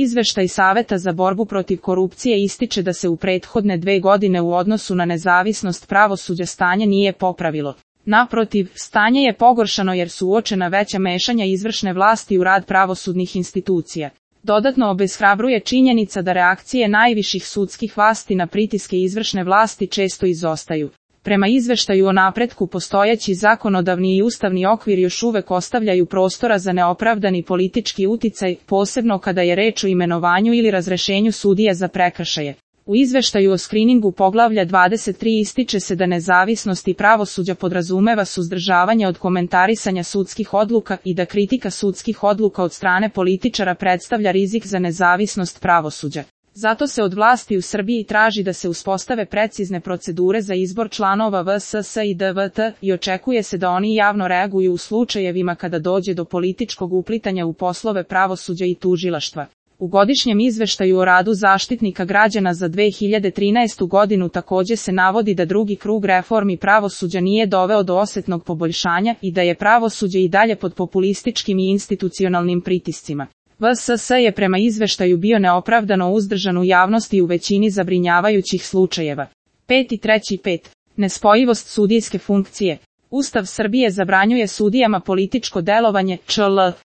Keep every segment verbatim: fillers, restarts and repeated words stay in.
Izveštaj Saveta za borbu protiv korupcije ističe da se u prethodne dve godine u odnosu na nezavisnost pravosuđa stanje nije popravilo. Naprotiv, stanje je pogoršano jer su uočena veća mešanja izvršne vlasti u rad pravosudnih institucija. Dodatno obeshrabruje činjenica da reakcije najviših sudskih vlasti na pritiske izvršne vlasti često izostaju. Prema izveštaju o napretku postojeći zakonodavni i ustavni okvir još uvek ostavljaju prostora za neopravdani politički uticaj, posebno kada je reč o imenovanju ili razrešenju sudija za prekršaje. U izveštaju o skriningu poglavlja dvadeset tri ističe se da nezavisnost i pravosuđa podrazumeva suzdržavanje od komentarisanja sudskih odluka i da kritika sudskih odluka od strane političara predstavlja rizik za nezavisnost pravosuđa. Zato se od vlasti u Srbiji traži da se uspostave precizne procedure za izbor članova V S S i D V T i očekuje se da oni javno reaguju u slučajevima kada dođe do političkog uplitanja u poslove pravosuđa i tužilaštva. U godišnjem izveštaju o radu Zaštitnika građana za dve hiljade trinaestu godinu takođe se navodi da drugi krug reformi pravosuđa nije doveo do osetnog poboljšanja i da je pravosuđe i dalje pod populističkim i institucionalnim pritiscima. V S S je prema izveštaju bio neopravdano uzdržan u javnosti u većini zabrinjavajućih slučajeva. pet i treći pet. Nespojivost sudijske funkcije. Ustav Srbije zabranjuje sudijama političko delovanje, čl.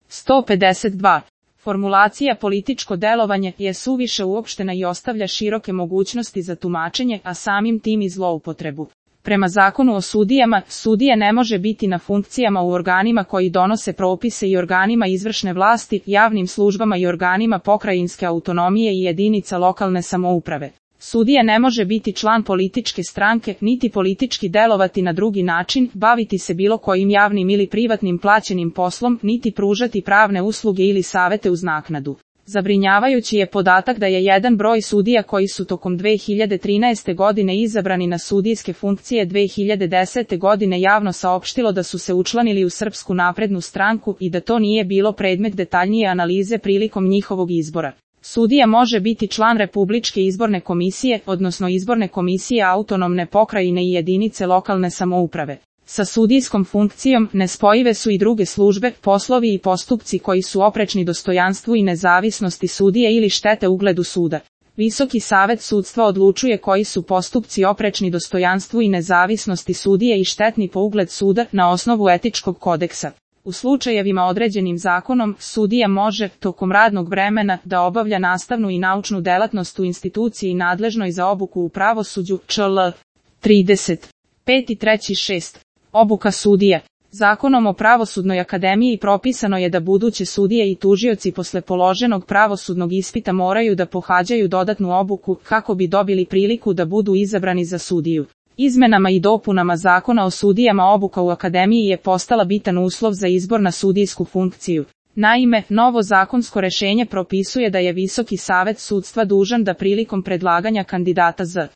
sto pedeset dva. Formulacija političko delovanje je suviše uopštena i ostavlja široke mogućnosti za tumačenje, a samim tim i zloupotrebu. Prema zakonu o sudijama, sudija ne može biti na funkcijama u organima koji donose propise i organima izvršne vlasti, javnim službama i organima pokrajinske autonomije i jedinica lokalne samouprave. Sudija ne može biti član političke stranke, niti politički delovati na drugi način, baviti se bilo kojim javnim ili privatnim plaćenim poslom, niti pružati pravne usluge ili savete uz naknadu. Zabrinjavajući je podatak da je jedan broj sudija koji su tokom dve hiljade trinaeste. godine izabrani na sudijske funkcije dve hiljade desete. godine javno saopštilo da su se učlanili u Srpsku naprednu stranku i da to nije bilo predmet detaljnije analize prilikom njihovog izbora. Sudija može biti član Republičke izborne komisije, odnosno izborne komisije autonomne pokrajine i jedinice lokalne samouprave. Sa sudijskom funkcijom nespojive su i druge službe, poslovi i postupci koji su oprečni dostojanstvu i nezavisnosti sudije ili štete ugledu suda. Visoki savet sudstva odlučuje koji su postupci oprečni dostojanstvu i nezavisnosti sudije i štetni po ugled suda na osnovu etičkog kodeksa. U slučajevima određenim zakonom, sudija može, tokom radnog vremena, da obavlja nastavnu i naučnu delatnost u instituciji nadležnoj za obuku u pravosuđu, čl. trideset. pet i treći šest. Obuka sudija. Zakonom o Pravosudnoj akademiji propisano je da buduće sudije i tužioci posle položenog pravosudnog ispita moraju da pohađaju dodatnu obuku kako bi dobili priliku da budu izabrani za sudiju. Izmenama i dopunama Zakona o sudijama obuka u akademiji je postala bitan uslov za izbor na sudijsku funkciju. Naime, novo zakonsko rešenje propisuje da je Visoki savet sudstva dužan da prilikom predlaganja kandidata za